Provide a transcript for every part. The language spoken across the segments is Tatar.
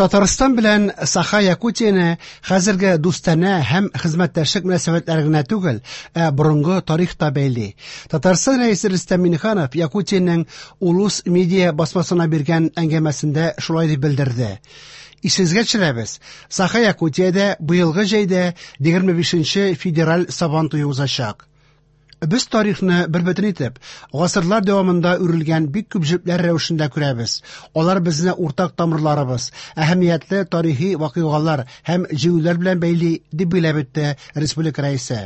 Татарстан белән Саха-Якутияне хәзерге дустанә һәм хезмәттәшлек мөнәсәбәтләре генә түгел, ә борынгы тарих та бәйли. Татарстан Рәисе Рөстәм Миңнеханов Якутиянең Улус Медиа басмасына биргән әңгәмәсендә шулай дип белдерде. Исегезгә төшерәбез, Саха-Якутиядә быелгы җәйдә 25 нче федераль Сабан туе узачак. Без тарихны бербөтен итеп, гасырлар дәвамында үрелгән бик күп җепләр рәвешендә күрәбез. Алар безне уртак тамырларыбыз, әһәмиятле тарихи вакыйгалар һәм җиңүләр белән бәйли, дип билгеләп үтте республика Рәисе.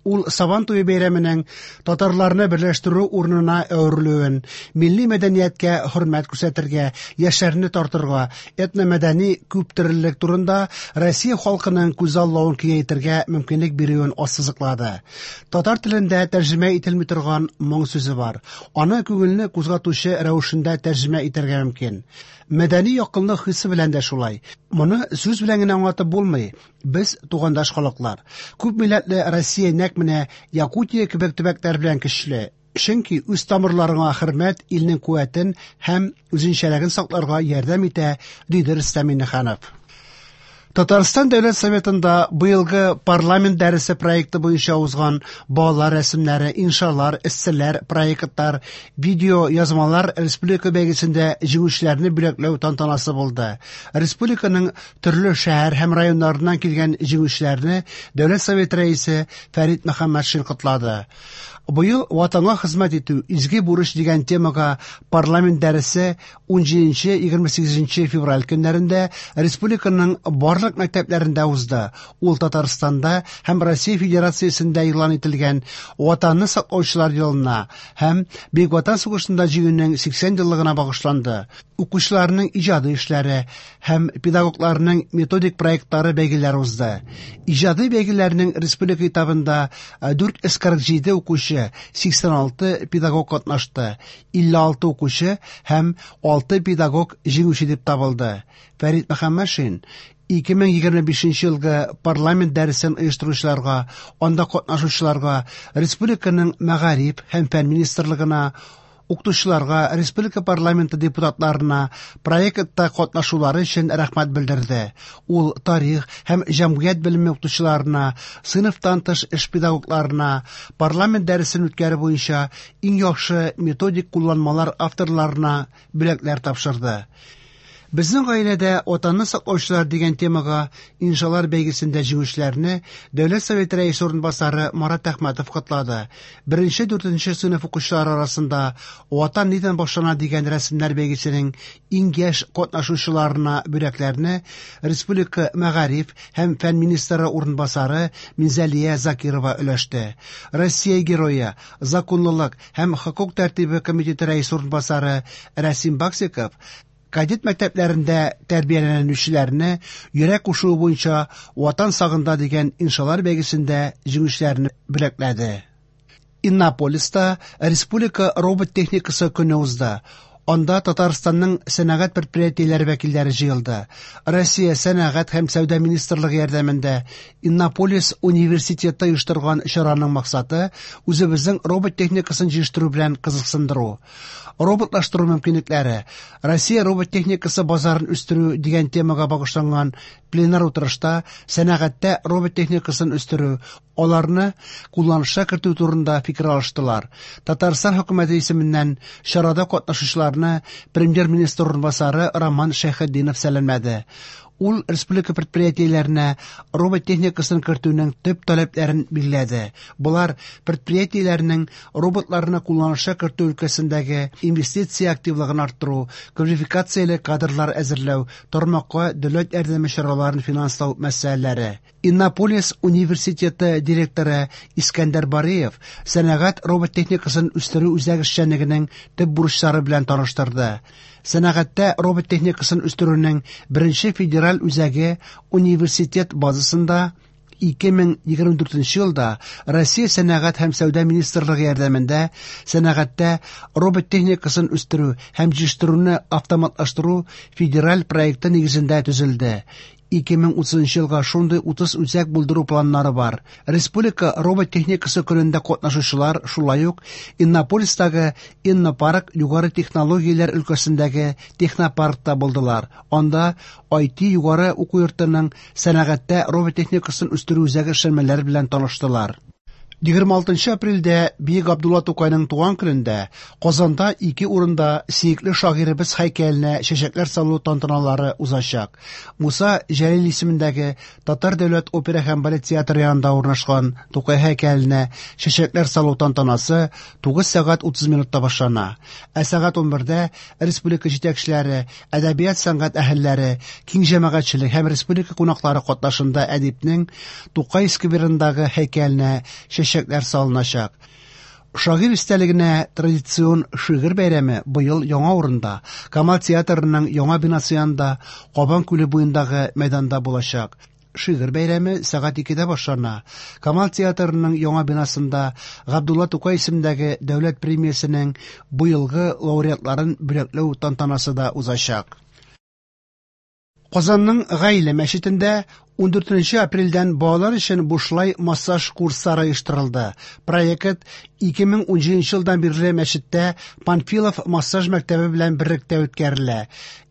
Ул Сабан туе бәйрәменең татарларны берләштерү урынына әверелүен, милли мәдәнияткә хөрмәт күрсәтергә, яшьләрне тартырга, этномәдәни күптөрлелек турында Россия халкының күзаллавын киңәйтергә мөмкинлек бирүен ассызыклады. Татар телендә тәрҗемә ителми торган моң сүзе бар. Аны күңелне кузгатучы рәвешендә тәрҗемә итәргә мөмкин. Мәдәни якынлык хисе белән дә шулай. Моны сүз белән генә аңлатып булмый. Без тугандаш халыклар. Күп милләтле Россия нәкъ менә Якутия кебек төбәкләр белән көчле. Чөнки үз тамырларыңа хөрмәт илнең куәтен һәм үзенчәлеген сакларга ярдәм итә, диде Рөстәм Миңнеханов. Татарстан Дәүләт Советында быелгы парламент дәресе проекты буенча узган балалар рәсемнәре, иншалар, эсселәр, проектлар, видео язмалар республика бәйгесендә җиңүчеләрне бүләкләү тантанасы булды. Республиканың төрле шәһәр һәм районнарыннан килгән җиңүчеләрне Дәүләт Советы рәисе Фәрит Мөхәммәтшин котлады. Быел Ватанга хезмәт итү изге бурыч дигән темага парламент дәресе 17-28 февраль көннәрендә республиканың барлык мәктәпләрендә узды. Ул Татарстанда һәм Россия Федерациясендә игълан ителгән Ватанны саклаучылар елына һәм Бөек Ватан сугышында җиңүнең 80 еллыгына багышланды. Укучыларның иҗади эшләре һәм педагогларның методик проектлары бәйгеләре узды. Иҗади бәйгеләрнең республика этабында 447 укучы, 86 педагог катнашты. 56 укучы һәм 6 педагог җиңүче дип табылды. Фәрит Мөхәммәтшин 2025 елгы парламент дәресен оештыручыларга, анда катнашучыларга, республиканың мәгариф һәм фән министрлыгына, укытучыларга, республика парламенты депутатларына проектта катнашулары өчен рәхмәт белдерде. Ул тарих һәм җәмгыять белеме укытучыларына, сыйныфтан тыш эш педагогларына, парламент дәресен үткәрү буенча иң яхшы методик кулланмалар авторларына бүләкләр тапшырды. Безнең гаиләдә Ватанны саклаучылар дигән темага иншалар бәйгесендә җиңүчеләрне Дәүләт Советы Рәисе урынбасары Марат Әхмәтов котлады. Беренче дүртенче сыйныф укучылары арасында Ватан нидән башлана дигән рәсемнәр бәйгесенең иң яшь катнашучыларына бүләкләрне республика мәгариф һәм фән министры урынбасары Минзәлия Закирова өләште. Россия Герое, Законлылык һәм хокук тәртибе комитеты рәисе урынбасары Рәсим Баксиков кадет мәктәпләрендә тәрбияләнүчеләрне йөрәк кушуы буенча Ватан сагында дигән иншалар бәйгесендә җиңүчеләрне бүләкләде. Иннополиста республика робот техникасы көне узды. Анда Татарстанның сәнәгать предприятиеләре вәкилләре җыелды. Россия сәнәгать һәм сәүдә министрлыгы ярдәмендә Иннополис университеты оештырган чараның максаты үзебезнең робот техникасын җитештерү белән кызыксындыру. Роботлаштыру мөмкинлекләре, Россия робот техникасы базарын үстерү дигән темага багышланган пленар утырышта сәнәгатьтә робот техникасын үстерү, аларны кулланышка кертү турында фикер алыштылар. Татарстан хөкүмәте исеменнән чарада катнашучыларны премьер-министр урынбасары Роман Шәйхетдинов сәламләде. Ул республика предприятиеләренә робот техникасын кертүнең төп таләпләрен билгеләде. Болар предприятиеләрнең роботларны кулланышка кертү өлкәсендәге инвестиция активлыгын арттыру, квалификацияле кадрлар әзерләү, тармакка дәүләт ярдәме чараларын финанслау мәсьәләләре. Иннополис университеты директоры Искәндәр Бариев сәнәгать робот техникасын үстерү үзәк эшчәнлегенең төп бурычлары белән таныштырды. Сәнәгатьтә робот техникасын үстерүнең беренче федераль үзәге университет базасында 2024 елда Россия Сәнәгать һәм сәүдә министрлыгы ярдәмендә сәнәгатьтә робот техникасын үстерү һәм җитештерүне автоматлаштыру федераль проекты нигезендә төзелде. 2030 елга шундый 30 үзәк булдыру планнары бар. Республика робот техникасы көнендә катнашучылар шулай ук Иннополистагы Иннопарк югары технологияләр өлкәсендәге технопаркта булдылар. Анда IT югары уку йортының сәнәгатьтә робот техникасын үстерү үзәге эшләнмәләре белән таныштылар. 26 апрельдә Бөек Габдулла Тукайның туган көнендә Казанда ике урында сөекле шагыйребез һәйкәленә чәчәкләр салу тантаналары узачак. Муса Җәлил исемендәге Татар дәүләт опера һәм балет театры янында урнашкан Тукай һәйкәленә чәчәкләр салу тантанасы 9 сәгать 30 минутта башлана. Ә сәгать 11дә республика җитәкчеләре, әдәбият-сәнгать әһелләре, киң җәмәгатьчелек һәм республика кунаклары катнашында әдипнең Тукай скверындагы һәйкәленә чәчәкләр салыначак. Шагыйрь истәлегенә традицион шигырь бәйрәме быел яңа урында, Камал театрының яңа бинасы янында, Кабан күле буендагы мәйданда булачак. Шигырь бәйрәме сәгать 2дә башлана. Камал театрының яңа бинасында Габдулла Тукай исемендәге дәүләт премиясенең быелгы лауреатларын бүләкләү тантанасы да узачак. Казанның Гаилә мәчетендә 14 апрельдән балалар өчен бушлай массаж курслары оештырылды. Проект 2017 елдан бирле мәчеттә Панфилов массаж мәктәбе белән берлектә үткәрелә.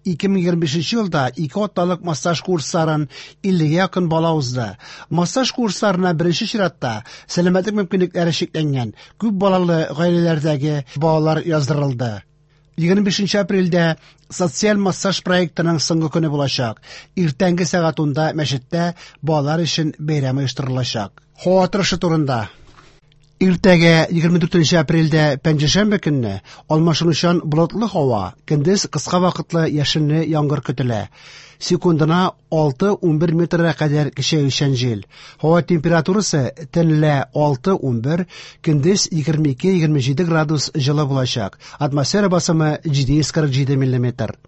2025 елда ике атналык массаж курсларын 50 якын бала узды. Массаж курсларына беренче чиратта сәламәтлек мөмкинлекләре чикләнгән күп балалы гаиләләрдәге балалар яздырылды. 25 апрельдә социаль массаж проектының соңгы көне булачак. Иртәнге сәгать 10да мәчеттә балалар өчен бәйрәм оештырылачак. Һава торышы турында. Иртәгә 24 апрельдә пәнҗешәмбе көнне алмашынучан болытлы һава, көндез кыска вакытлы яшенле яңгыр көтелә. Секундына 6-11 метрга кадәр көчәючән җил. Һава температурасы төнлә 6-11, көндез 22-27 градус җылы булачак. Атмосфера басымы 747 миллиметр.